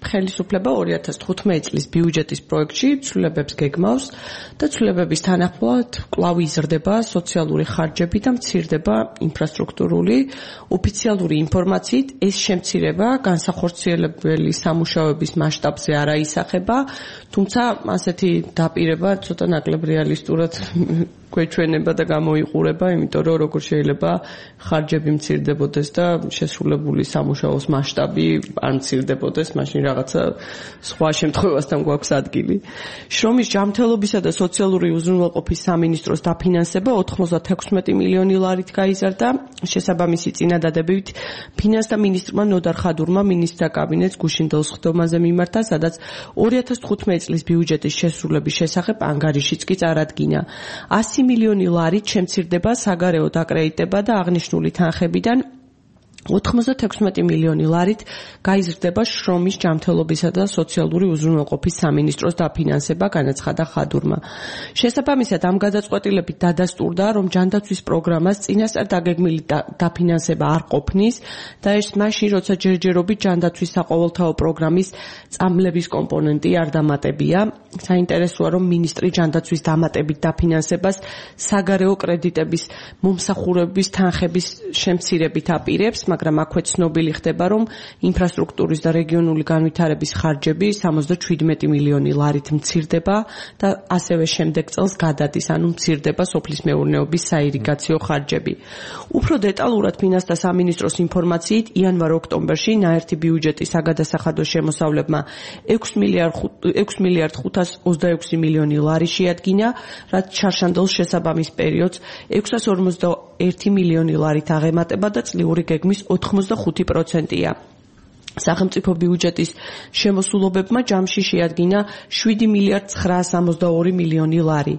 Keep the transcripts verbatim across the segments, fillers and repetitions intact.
ხელისუფლება ორი ათას თხუთმეტი წლის ბიუჯეტის პროექტში ცვლილებებს გეგმავს და ცვლილებების თანახმად კვლავ იზრდება სოციალური ხარჯები და მცირდება ინფრასტრუქტურული. ოფიციალური ინფორმაციით ეს შემცირება განსახორციელებელი სამუშაოების მასშტაბზე არ აისახება, თუმცა ასეთი დაპირება ცოტა ნაკლებ რეალისტურად გვეჩვენება და გამოიყურება, იმიტომ რომ როგორ შეიძლება ხარჯები მცირდებოდეს და შესრულებული სამუშაოს მასშტაბი არ მცირდებოდეს, მაშინ რაღაცა სხვა შემთხვევასთან გვაქვს ადგილი. შრომის ჯანმრთელობისა და სოციალური უზრუნველყოფის სამინისტროს დაფინანსება ოთხმოცდათექვსმეტი მილიონი ლარით გაიზარდა. შესაბამისი წინადადებით ფინანსთა მინისტრმა ნოდარ ხადურმა მინისტრთა კაბინეტს გუშინდელ სხდომაზე მიმართა, სადაც ორი ათას თხუთმეტი წლის ბიუჯეტის შესრულების შესახებ ანგარიშიც კი წარადგინა. ასი მილიონი ლარით შემცირდება საგარეო დაკრედიტება და აღნიშნული თანხებიდან ოთხმოცდათექვსმეტი მილიონი ლარით გაიზრდება შრომის ჯანმრთელობისა და სოციალური უზრუნველყოფის სამინისტროს დაფინანსება, განაცხადა ხადურმა. შესაბამისად, ამ გადაწყვეტილებით დადასტურდა, რომ ჯანდაცვის პროგრამას წინასწარ დაგეგმილი დაფინანსება არ ყოფნის და ეს მაშინ, როცა ჯერჯერობით ჯანდაცვის საყოველთაო პროგრამის წამლების კომპონენტი არ დამატებია. საინტერესოა, რომ მინისტრი ჯანდაცვის დამატებით დაფინანსებას საგარეო კრედიტების მომსახურების თანხების შემცირებით აპირებს, მაგრამ აქვე ცნობილი ხდება, რომ ინფრასტრუქტურის და რეგიონული განვითარების ხარჯები სამოცდაშვიდმეტი მილიონი ლარით მცირდება და ასევე შემდეგ წელს გადადის, ანუ მცირდება სოფლის მეურნეობის საირიგაციო ხარჯები. უფრო დეტალურად ფინანსთა სამინისტროს ინფორმაციით, იანვარ-ოქტომბერში ნაერთი ბიუჯეტის საგადასახადო შემოსავლებმა ექვს მილიარდ ხუთას ოცდაექვსი მილიონი ლარი შეადგინა, რაც ჩარშანდელ შესაბამის პერიოდს ექვსას ორმოცდაერთი მილიონი ლარით აღემატება და წლიური გეგმის ოთხმოცდახუთი პროცენტია. სახელმწიფო ბიუჯეტის შემოსულობებმა ჯამში შეადგინა შვიდი მილიარდ ცხრაას ორმოცდაორი მილიონი ლარი.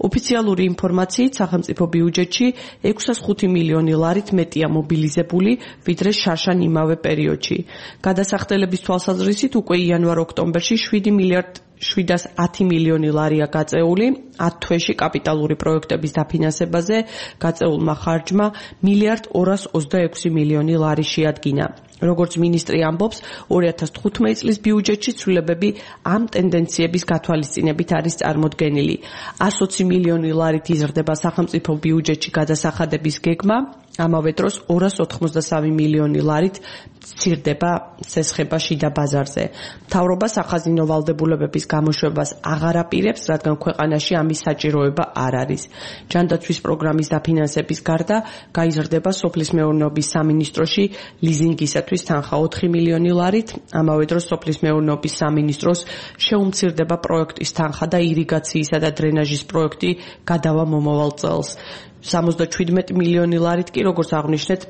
ოფიციალური ინფორმაციით სახელმწიფო ბიუჯეტში ექვსას ხუთი მილიონი ლარით მეტია მობილიზებული, ვიდრე შარშან იმავე პერიოდში. გადასახდელების თვალსაზრისით უკვე იანვარ-ოქტომბერში შვიდი მილიარდ შვიდას ათი მილიონი ლარია გაწეული, ათ თვეში კაპიტალური პროექტების დაფინანსებაზე გაწეულმა ხარჯმა მილიარდ ორას ოცდაექვსი მილიონი ლარი შეადგინა. როგორც მინისტრი ამბობს, ორი ათას თხუთმეტი წლის ბიუჯეტში ცვლილებები ამ ტენდენციების გათვალისწინებით არის წარმოდგენილი. ასოცი მილიონი ლარით იზრდება სახელმწიფო ბიუჯეტში გადასახადების გეგმა, ამავე დროს ორას ოთხმოცდასამი მილიონი ლარით მცირდება სესხება შიდა ბაზარზე. მთავრობა სახაზინო ვალდებულებების გამოშვებას აღარ აპირებს, რადგან ქვეყანაში ამის საჭიროება არ არის. ჯანდაცვის პროგრამის დაფინანსების გარდა გაიზრდება სოფლის მეურნეობის სამინისტროში ლიზინგისათვის თანხა ოთხი მილიონი ლარით, ამავე დროს სოფლის მეურნეობის სამინისტროს შეუმცირდება პროექტის თანხა და ირიგაციისა და დრენაჟის პროექტი გადავა მომავალ წელს. სამოცდაშვიდმეტი მილიონი ლარით კი, როგორც აღნიშნეთ,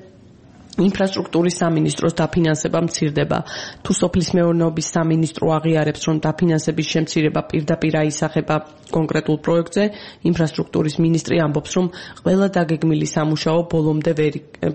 ინფრასტრუქტურის სამინისტროს დაფინანსება მცირდება. თუ სოფლის მეურნეობის სამინისტრო აღიარებს, რომ დაფინანსების შემცირება პირდაპირ აისახება კონკრეტულ პროექტზე, ინფრასტრუქტურის მინისტრი ამბობს, რომ ყველა დაგეგმილი სამუშაო ბოლომდე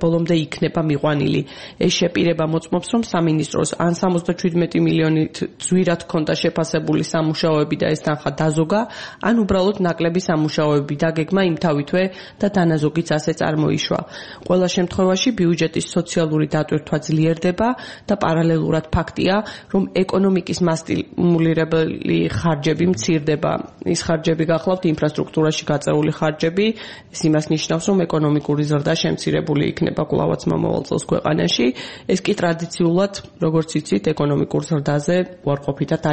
ბოლომდე იქნება მიყვანილი. ეს შეპირება მოწმობს, რომ სამინისტროს ან სამოცდაშვიდმეტი მილიონით ძვირად ჰქონდა შეფასებული სამუშაოები და ეს თანხა დაზოგა, ან უბრალოდ ნაკლები სამუშაოები დაგეგმა იმთავითვე და დანაზოგიც ასე წარმოიშვა. ყველა შემთხვევაში ბიუჯეტის სოციალური დატვირთვა ძლიერდება და პარალელურად ფაქტია, რომ ეკონომიკის მასტიმულირებელი ხარჯები მცირდება. ის ხარჯები გახლავთ ინფრასტრუქტურაში გაწეული ხარჯები, ეს იმას ნიშნავს, რომ ეკონომიკური ზრდა შემცირებული იქნება კვლავაც მომავალ წელს ქვეყანაში. ეს კი ტრადიციულად, როგორც იცით, ეკონომიკურ ზრდაზე უარყოფითად